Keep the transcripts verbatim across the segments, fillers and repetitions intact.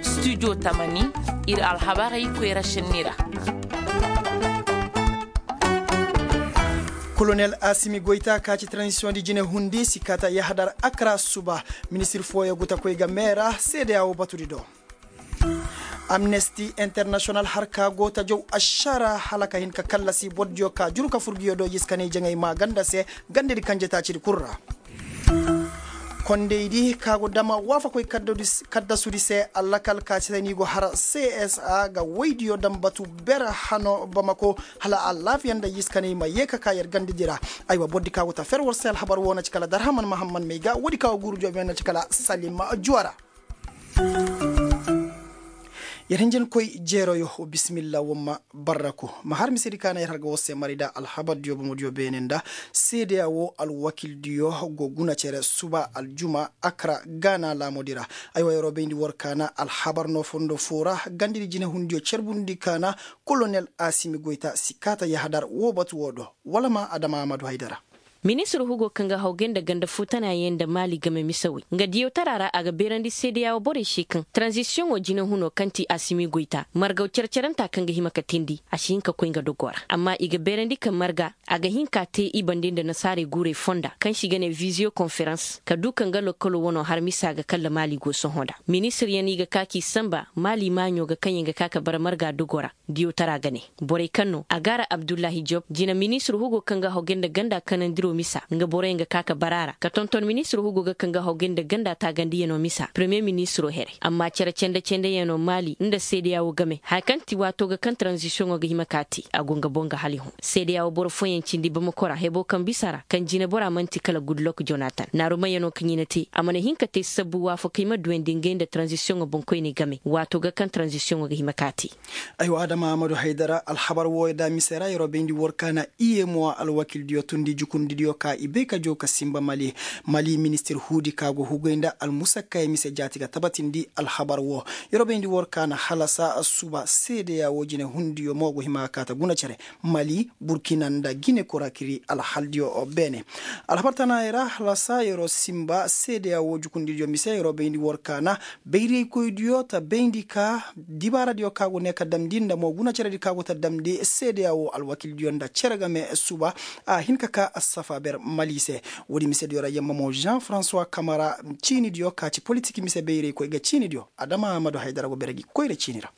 Studio tamani, ir alhabarey koyra šenni ra. Kolonel asimi goyta ka ci transisiyoŋ di jine hundi si kaata yahadar akra suba. Ministir fooyo go ta koy ga meera seede a wo batudi do. Amnesti internasiyonal har ka go ta jaw ašara hala ka hin ka kallasi bordiyo ka juru ka furgiyo do yiskaney jaŋay maa ganda se gandedi kanje taacidi kul ra. Kondeydi ka go dama waafakoy kaddasudi se allakal ka se ni go har csa ga woydiyo daŋ batu ber hano bamako hala alaafiya nda yiskaney ma yee ka ka yer gandedi ra. Aywa bordi ka go ta fer war se alhabar wo na ci kala darhaman mahamman may ga woodi ka go guuru joobiyaŋ na ci kala salima juwara. Yer hinjinkoy jeeroyo, bisimilla wamma barraku ma har misedi ka na yer har ga war se mari nda alhabardiyo bomodiyo beene nda seedeya wo alwakildiyo go guna cere suba aljuma akra gaana laamodi ra. Aywa yeroo bayndi war ka na alhabar no fondo foo ra gandidi jinehundiyo cerbundi ka na kolonel asimi goyta si kaata yahadar woo batu woo do wala ma adama amadu haydara. Ministir hugo kaŋ ga hawgay nda ganda fuutanayaŋ nda maali game misawey nga diyawtara ra a ga beerandi seedeya woo borey se kaŋ taranzisiyoŋo jinehunoo kaŋ ti asimi goyta margaw cere-cerenta kaŋ ga hima ka teendi a si hin ka koy nga dogoo ra amma i ga beerandi kaŋ marga a ga hin ka tee i bande nda nasaarey guurey fonda kaŋ se i ga ne viziyo konferans ka duu ka nga lokkoloo wanoo har misa ga kalla maali go sohõ nda ministiryaŋ i ga ka k'i sanba maali maaɲo ga kaŋ yaŋ ga ka ka bara marga dogoo ra. Diyawtara ga ne borey kaŋ no a gaara abdullahi job jina ministir hugo kaŋ ga hawgay nda ganda kanandiroo misa nga boroyaŋ ga ka ka bara a ra ka tonton ministir hugo ga kaŋ ga hawgay nda ganda taagandiyanoo misa paremiye ministiroo herey amma cere cende-cendeyanoo maali nda seedeya woo game haya kaŋ ti waatoo ga kaŋ taranzisiyoŋoo ga hima ka a te a go nga boŋ ga hala i hõ seedeya woo boro fooyaŋ cindi bamako ra heboo kaŋ bisa ra kaŋ jineboraa man'ti kala gudlok jonatan naarumayanoo kaŋ i na te a mana hin ka te sabbu waafakey ma duyandi ngey nda taranzisiyoŋoo boŋkoyney game waatoo ga kaŋ taranzisiyoŋoo ga hima ka a te. Aywa adama amadu haydara alhabar wooyo da mise ra yeroo bayndi war ka na iyemuwa alwakildiyo tundi jukundidiyo ka i bay ka jaw ka sinba mali mali ministir huudi ka go hugay nda almusakkayey mise jaati ga tabatindi alhabar woo. Yeroo bayndi war ka na halasa suba seedeya woo jinehundiyo mo go hima ga kaata guna cere mali burkina nda gine korakiri alhaldiyo beene. Alhabar tanaayey ra halasa yeroo sinba seedeya woo jukundidiyo mise yeroo bayndi war ka na bayraykoydiyo ta bayndi ka dibaaradiyo ka go ne ka damndi nda mo gunaceredi ka go ta damndi seedeya woo alwakildiyo nda cere game suba a hin ka ka assafa ber mali se. Woodi misediyo ra yamma mo jean francois kamara ciinidiyo ka ci politik mise bayraykoy ga ciinidiyo adama amadu haydara go bere gi koyra ciini ra.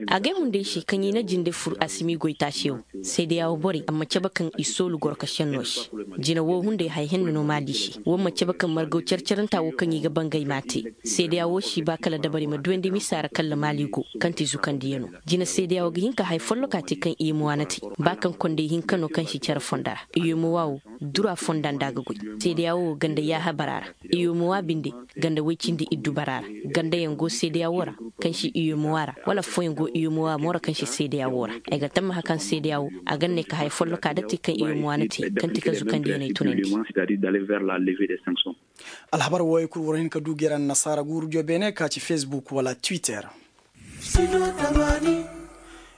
Agay hunday se kaŋ i na jinde fur asimi goyta se wo seedeya wo borey a ma cabe kaŋ i soolu gorkasenno se. Jina wo hunday haya hinne no maali se wo ma cabe kaŋ margaw care-caranta wo kaŋ i ga bangay m'a te. Seedeya wo si ba kala dabari ma duyandi misa ra kalla maali go kaŋ ti zukandiyanoo. Jina seedeya wo ga hin ka haya folloka te kaŋ iyemuwa na te ba kaŋ konday hinka no kaŋ si care fonda ra iyemuwa wo dura fonda nda a ga goy. Seedeya wo ganda yaaha bara ra iyemuwa binde ganda woy cindi iddu bara ra. Gandayaŋ go seedeya wo ra kaŋ si iyemuwa ra wala affooyaŋ go iyemuwa mo ra kaŋ si seedeya wo ra. Ay ga tammaha kaŋ seedeya wo a ga ne ka haya folloka da te kaŋ iyemuwa na te kaŋ ti ka zukandiyaney tunandi. Alhabar wooyey kul war hin ka du gera nasaara guurudiyo beene ka ci facebook wala twitter.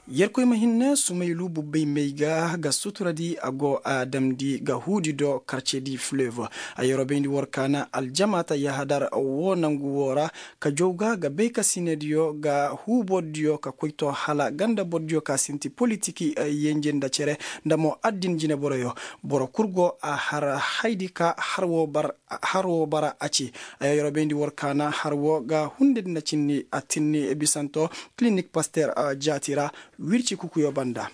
Yerkoy ma hinne sumaylu bubbey may ga ga suturadi a go a damndi ga huudi do karce di fleuve. A yeroo bayndi war ka na aljamaata yahadar woo nangu woo ra ka jaw ga ga bay ka sinediyo ga huu bordiyo ka koy to hala ganda bordiyo ka sinti politiki yenje nda cere nda mo addin jineboroyo. Boro kul go a har haydi ka har woo bar har woo bara a ci. Ayo yeroo bayndi war ka na har woo ga hundedi nda cinni a tinni bisanto kilinik paster jaati ra. Wirci kukuyo banda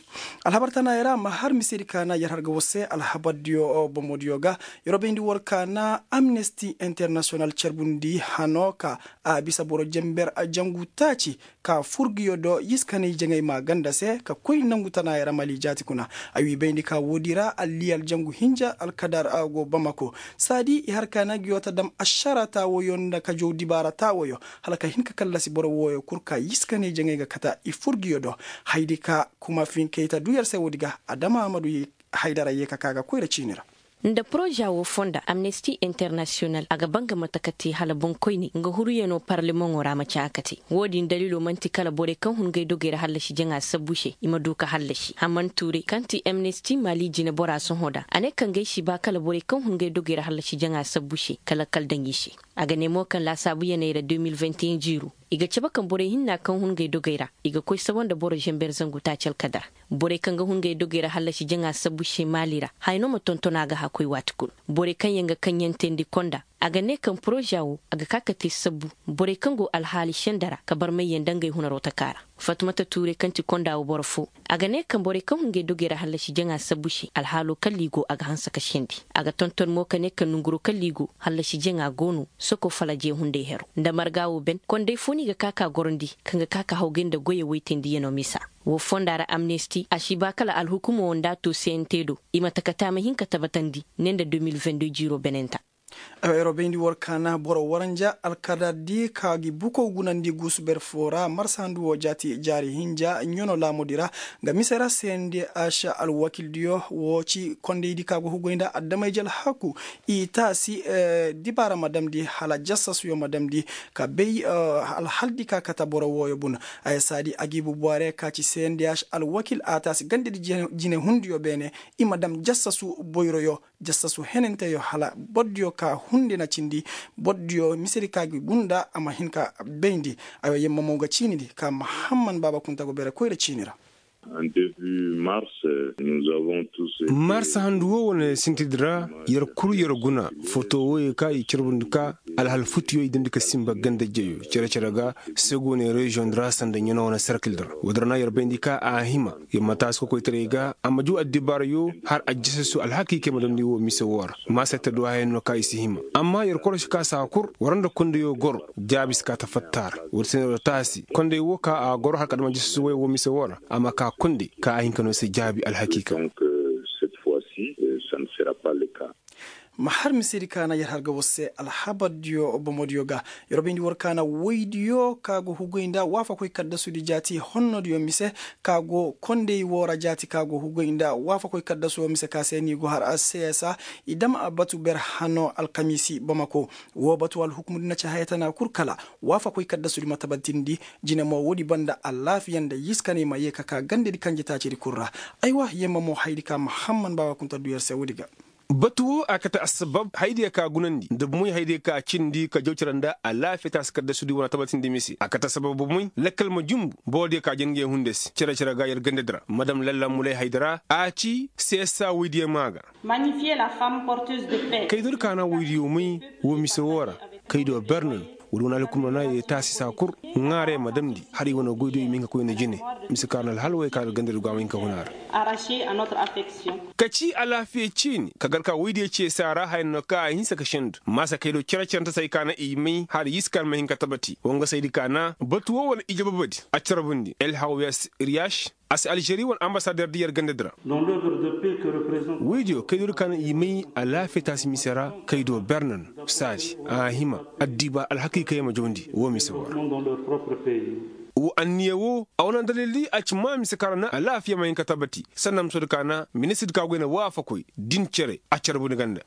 alhabar tanaayey ra ma har misedi ka na yer har ga war se alhabardiyo bomodiyo ga. Yeroo bayndi war ka na amnesti internasiyonal carbundi hano ka a bisa boro jenber jangu taaci ka furgiyo do yiskanay jaŋay maa ganda se ka koy nangu tanaayey ra mali jaati kuna. A wii bayndi ka woodi ra alli aljangu hinja alkadar go bamako. Saadi i har ka na ngiyo ta dam ašara taawoyo nda ka jow dibaara taawoyo hala ka hin ka kallasi boro wooyo kul ka yiskanay jaŋay ga kata i furgiyo do. Haydi ka kuma finkey ta duu yer se woodi ga adama amadu haydara yee ka ka ga koyra ciini ra. Nda poroza woo fonda amnesti internasiyonal a ga ba nga mate ka te hala boŋkoyney nga huruyanoo parlemaŋoo ra ma caa ka te. Woo din daliiloo man'ti kala borey kaŋ hun ngey dogey ra hallasi jaŋa sabbu se i ma du ka hallasi haman tuuray kaŋ ti amnesti mali jineboraa sohõ da a ne ka ngey si ba kala borey kaŋ hun ngey dogey ra hallasi jaŋa sabbu se ka lakkal daŋ i se. A ga ne mo kaŋ laasaabuyaney ra de mil vingt et un jiiroo i ga cabe kaŋ borey hinna kaŋ hun ngey dogey ra i ga koy sawa nda boro zamber zangu taaci alkadar. Borey kaŋ ga hun ngey dogey ra hallasi jaŋa sabbu se maali ra haya no ma tonton a ga hã koy waati kul. Borey kaŋ yaŋ ga kaŋ yaŋ teendi konda a ga ne kaŋ poroza woo a ga ka ka te sabbu borey kaŋ go alhaali senda ra ka barmayyaŋ nda ngey hunaroo taka ra. Fatumata tuuray kaŋ ti konda woo boro foo a ga ne kaŋ borey kaŋ hun ngey dogey ra hallasi jaŋa sabbu se alhaaloo kalla i go a ga hanse ka sendi. A ga tonton mo ka ne kaŋ nanguroo kalla i go hallasi jaŋa go no soko falaje hunday heroo nda marga woo ben konday foo no i ga ka ka gorandi kaŋ ga ka ka hawgay nda goyey woytandiyanoo misa. Woo fonda ra amnesti a si ba kala alhukumoo nda a to cnt do i ma taka te a ma hin ka tabatandi ne nda de mil vingt deux jiiroo benenta. Yeroo bayndi war kaana boro waranja alkadar di ka gi bukow gunandi guusu ber foo ra marsahandu woo jaati jaari hinja ɲano laamudi ra. Nga mise ra seendi aša alwakildiyo woo ci kondaydi ka go hugoy nda adamay jalhaku i taasi dibaara ma damndi hala jasasuyo ma damndi ka bay alhaldi ka kate boro wooyo bun. Haya saadi agiibu buware ka ci seendi aša alwakil a taasi gandedi jinehundiyo beene i ma dam jasasu boyroyo jasasu henanteyo hala bordiyo ka hundi na cindi bordiyo misedi ka gi gunda a ma hin ka bayndi. Ayo yemma mo ga ciinidi ka mahamman baaba kunta go bere koyra ciini ra. Mars handu woo wane sintidi ra yer kul yer guna foto wooyey ka i carbundi ka alhal futiyo i damndi ka sinba ganda jeyo cere-cere ga segoone reziyoŋ di ra sanda ɲano wane serkil di ra. Woodi ra na yer bayndi ka a hima yer ma taasi kokoytaray ga a ma juu addibaarayo har a jasasu alhakiikey ma damndi woo mise woo ra. Maasay ta du haya no ka i si hima amma yer korosi ka saa kul war nda kondayo goro jaabi si kaa ta fatta a ra. Woodi se no yer taasi konday woo ka a goro har ka dam a jasasu woy woo mise woo ra a ma kaa konday ka a hin ka no se jaabi alhakiika. Ma har misedi ka na yer har ga war se alhabardiyo bomodiyo ga. Yer wo bayndi war ka na woydiyo ka go hugoy nda waafakoy kaddasudi jaati honnodiyo mise ka go konday woo ra jaati ka go hugoy nda waafakoy kaddasu woo mise ka se ni go har csa i dam a batu ber hano alkamiisi bamako. Woo batu alhukumudi na ci haya tana kul kala waafakoy kaddasudi ma tabatindi. Jine mo woodi banda alaafiya nda yiskaney ma yee ka kaa gandedi kanjetaacidi kul ra. Aywa yemma mo hayadi ka mahamman baawa kunta du yer se woodi ga. Batu woo a kate assabab hayadiyo ka gunandi nda bomoy hayadiyo ka cindi ka jaw cere nda alaafiya taasi kaddasudi wane tabatindi mise a kate assabab bomoy lakkal ma jumbu borodiyo ka jangey hunde se cere-cere ga yer gandedi ra madam lalla mulay hayadi ra a ci seesa woydiyo maa ga. Kaydiyo di ka na woydiyo may woo mise woo ra kaydiyo ber na no. Woodi wane alhukumdiyo na yee taasi saa kul ŋaarey ma damndi har i wane goydiyo i ma hin ka koy nda jine mise ka na alhal woy ka na gandadi go a ma hin ka hun a ra. Ka ci alaafiya ciini ka gar ka woydiyo cee saa ra haya no ka a hinsa ka sendu maasa kaydiyo cere-cerante se hay ka na i may har yiska ma hin ka tabati woo nga saydi ka na batu woo wane ije babadi a carbundi el hawiyas riyas. A si alžeri wane ambasader di yer gandadi ra. Woydiyo kaydiyo di ka na i may alaafiya taasi mise ra kaydiyo ber na no saadi a hima addiba alhakiikey ma jawndi woo mise woo ra. Woo anniya woo a wane dalildi a ci maa mise ka ra na alaafiya ma hin ka tabati sanda musodi ka na ministirdi ka goy na waafakoy din cere a carbundi ganda.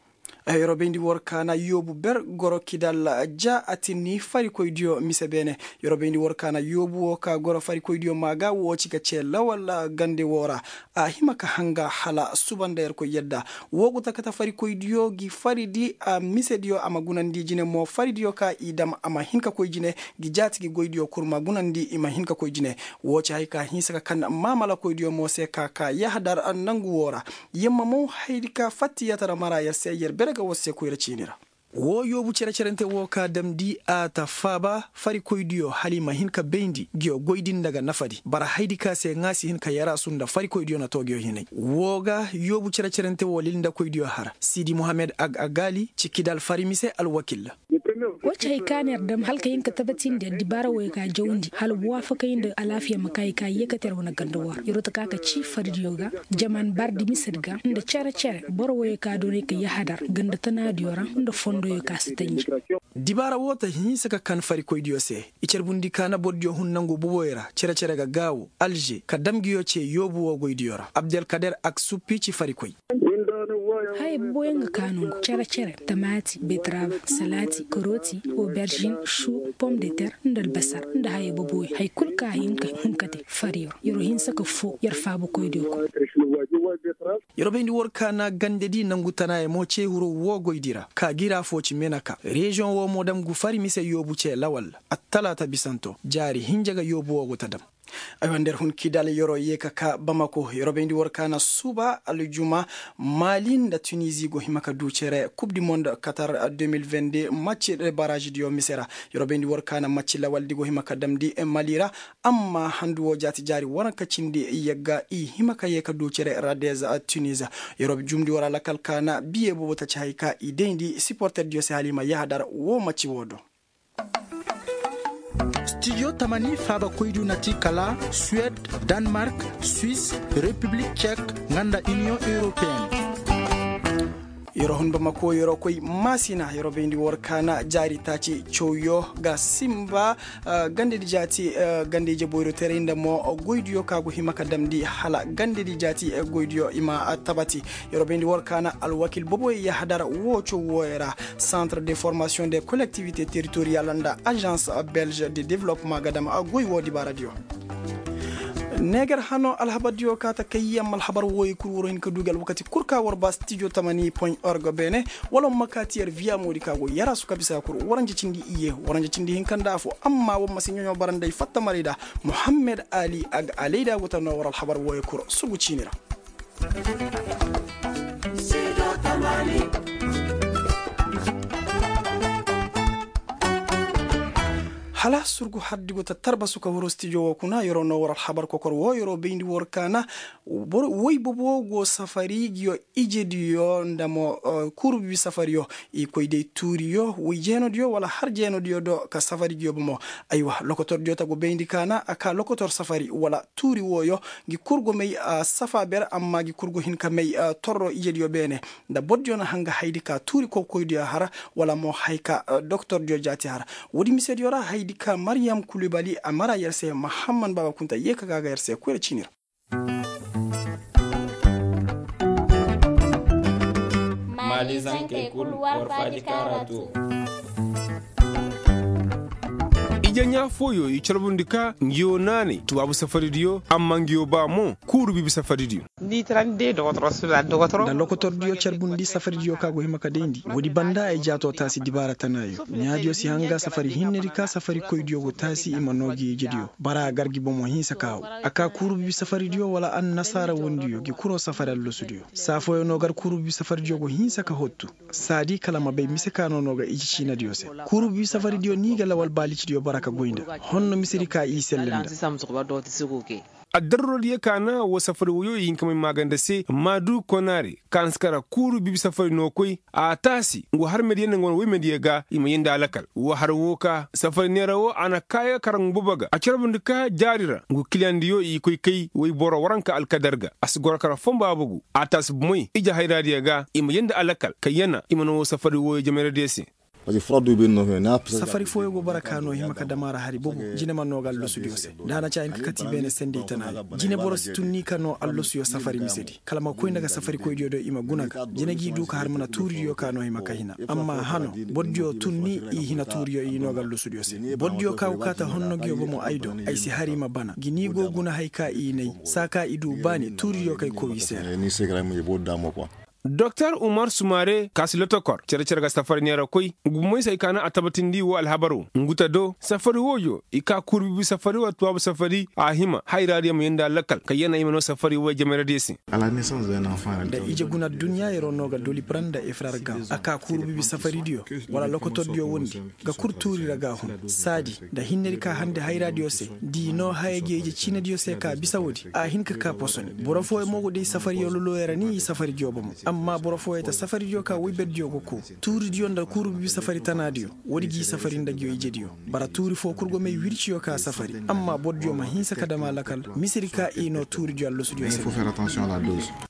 Yeroo bayndi war ka na yoobu ber goro kidal ja a tinni farikoydiyo mise beene. Yeroo bayndi war ka na yoobu woo ka goro farikoydiyo maa ga woo ci ka cee lawal gande woo ra. A hima ka hanga hala suba nda yerkoy yadda. Woo go ta kate farikoydiyo gi faridi a misediyo a ma gunandi jine mo faridiyo ka i dam a ma hin ka koy jine. Gi jaati gi goydiyo kul ma gunandi i ma hin ka koy jine. Woo ci hay ka hinsa ka kan maamalakoydiyo mo se ka ka yahadar nangu woo ra. Yamma mo hayadi ka fattiyatara mara yer se yer bere ga war se koyra ciini ra. Woo yoobu cere-cerante woo ka damndi a ta faaba farikoydiyo hala i ma hin ka bayndi nguyo goydi nda ga nafadi bara hayadi ka se ŋaa si hin ka yaraasu nda farikoydiyo na too nguyo hinay. Woo ga yoobu cere-cerante woo lilndakoydiyo har siidi muhammed ag agali ci kidal fari mise alwakil. Woo ci hay ka na yer dam hala ka hin ka tabatindi addibaara wooyo ka jawndi hala waafakay nda alaafiya ma kaa i ka yeekate yer wane ganda woo ra yer woo ta ka ka ci faridiyo ga jaman bardi misedi ga nda cere-cere boro wooyo ka doonay ka yahadar ganda tanaadiyo ra nda fondoyo ka si tanji. Dibaara woo ta hinsa ka kan farikoydiyo se. I carbundi ka na bordiyo hun nangu boboyo ra cere-cere ga gaawo alže ka dam nguyo cee yoobu woo goydiyo ra abdelkader ak suppi ci farikoy. Haya boboyaŋ ga kaanu ngu cere-cere, tamaati, betrav, salaati, karooti, oberžin, šuu, pom de ter, nda albasar, nda haya boboyaŋ. Haya kul ka hin ka hun ka te fari yer. Yer wo hinsa ka foo yer faabakoydiyo kul. Yer wo bayndi war kaana gandedi nangu tanaayaŋ mo ce hiro woo goydi ra ka gira foo ci menaka reziyoŋ woo mo dam ngu fari mise yoobu ce lawal attalaata bisanto jaari hinja ga yoobu woo go ta dam. Aywa nda yer hun kidal yer wo yee ka kaa bamako yer wo bayndi war kaana suba aljuma mali nda tunizi go hima ka du cere kub di mond katar de mil vende macci de barazidiyo mise ra. Yer wo bayndi war kaana macci lawaldi go hima ka damndi mali ra. Amma handu woo jaati jaari waranka cindi yagga i hima ka yee ka du cere radez. Tuniza yer wo jumndi war alakal kaana biye boobo taci hay ka i dayndi siporterdiyo se hala i ma yahadar woo macci woo do. Stijo tamani faabakoydiyo na ti kala suwed, danmark, swis, repiblik cek, nga nda iniyoŋ europeen. Yer wo hun bamako yer wo koy maasina yer wo bayndi war kaana jaari taaci cawyo ga simba. Gandedi jaati ganda ije boyro teray nda mo goydiyo ka go hima ka damndi hala gandedi jaati goydiyo i ma tabati. Yer wo bayndi war kaana alwakil boboyo yahadar woo caw wooyo ra, santre de formasiyoŋ de kolektivite teritoriyal nda azans belge de developma ga dam goy woo dibaaradiyo. Neegar hano alhabardiyo kaa ta kay yamma alhabar wooyo kul war hin ka du gi alwakati kul ka war ba stijo tamani point org beene. Wala war ma kaati yer viya moodi ka go yaraasu ka bisa kul waranja cindi iyye waranja cindi hinka nda afo amma war ma si ɲoɲo bara nda ay fatta maray da. Muhammed ali a ga alayda go ta noo war alhabar wooyo kul sugu ciini ra. Hala surgu hardi go ta tarbasu ka huru stijo wo kuna yer wo noo war alhabar kokor wo yer wo bayndi war kaana. Woy bobo go safari ngiyo ijediyo nda mo kuuru bibi safariyo i koy day tuuriyo woy jeenodiyo wala har jeenodiyo do ka safari ngiyo bomo. Aywa lokotordiyo ta go bayndi kaana a ka lokotor safari wala tuuri wooyo ngi kul go may safa ber amma ngi kul go hin ka may torro ijediyo beene. Nda bordiyo na hanga haydi ka tuuri kowkoydiyo har wala mo hay ka doktordiyo jaati har. Woodi misediyo ra haydi ka mariyam kulibali a mara yer se mahamman baaba kunta yee ka ga a ga yer se koyra ciini ra. Maalizankey kul war faaji kaara too. Ije ɲaa fooyo i carbundi ka ngiyo naanay tubaabu safaridiyo amma ngiyo ba mo kuuru bibi safaridiyo. Nda lokotordiyo carbundi safaridiyo ka go hima ka dayndi woodi banda ay jaato taasi dibaara tanaayo ɲaadiyo si hanga safari hinnedi ka safarikoydiyo go taasi i ma noo gi ijediyo bara a gar gi bomo hinsa ka haw. A ka kuuru bibi safaridiyo wala annasaara wondiyo gi kuroo safari allasudiyo saa fooyo noo gar kuuru bibi safaridiyo go hinsa ka hottu. Saadi kala ma bay mise ka no no ga iji ciinadiyo se. Kuuru bibi safaridiyo ni ga lawal baalicidiyo bara ka goy nda honno misedi ka i selle nda. Addarurodiyo ka na woo safari woyo i hin ka may maaganda se maadu konaare ka na si kara kuuru bibi safari no koy. A taasi ngu harmediyo nda ngu wane woymediyo ga i ma yee nda alakal woo har woo ka safari neera woo a na kaaya kara ngu bobo ga a carbundi ka jaari ra ngu kiliyandiyo i koy kay woyboro waranka alkadar ga a si goro kara fomba bogu. A taasi bomoy ije hayraadiyo ga i ma yee nda alakal ka yana i ma na woo safari wooyo jameradiyo se. Safari fooyo go bara ka no hima ka dam a ra hari bobo jine ma no ga allasudiyo se. Nda a na ci a hin ka kati beene sendey tana ya jine boro si tun ni ka no allasuyo safari misedi kala ma koy nda ga safarikoydiyo do i ma guna ga jine g'i du ka har mana tuuridiyo ka no hima ka hina. Amma hano bordiyo tun ni i hina tuuriyo i no ga allasudiyo se. Bordiyo ka go kaa ta honno nguyo bomo ay do ay si har i ma bana gi ni go guna hay ka i nay saa ka i du baani tuuridiyo kay kow i se ra. Doktor umar sumare ka si lotokor cere-cere ga safari neera koy ngu moy se ay ka na a tabatindi woo alhabar woo ngu ta do safari wooyo i ka kuuru bibi safari wala tubaabu safari a hima hayraadiyo ma yee nda alakal ka yana i ma noo safari wooyo jameradiyo se. Nda ije guna adduɲɲa yeroo no ga doli bara nda efrar ga a ka kuuru bibi safaridiyo wala lokotordiyo wondi ga kul tuuri ra ga hun saadi nda hinnedi ka hande hayraadiyo se. D'i noo haya gi ije ciinadiyo se ka bisa woodi a hin ka kaa posoni boro fooyo mo go day safariyo lolooyo ra ni i safaridiyo bomo. Amma boro fooyo ta safaridiyo ka woyberdiyo go koo tuuridiyo nda kuuru bibi safari tanaadiyo woodi g'i safari nda nguyo ijediyo. Bara tuuri foo kul go may wirciyo ka safari amma bordiyo ma hinsa ka dam a lakal misedi ka i noo tuuridiyo allasudiyo se.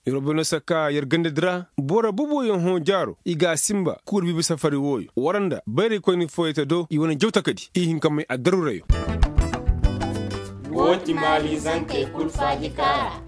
Yer wo bano sakka yer gandadi ra boro boboyaŋ hõ jaaro i ga a sinba kuuru biibi safari wooyo war nda bayraykoyni fooyey ta do i wane jawtakadi i hin ka may addarurayo. Wo ti maali zankey kul faaji kaara.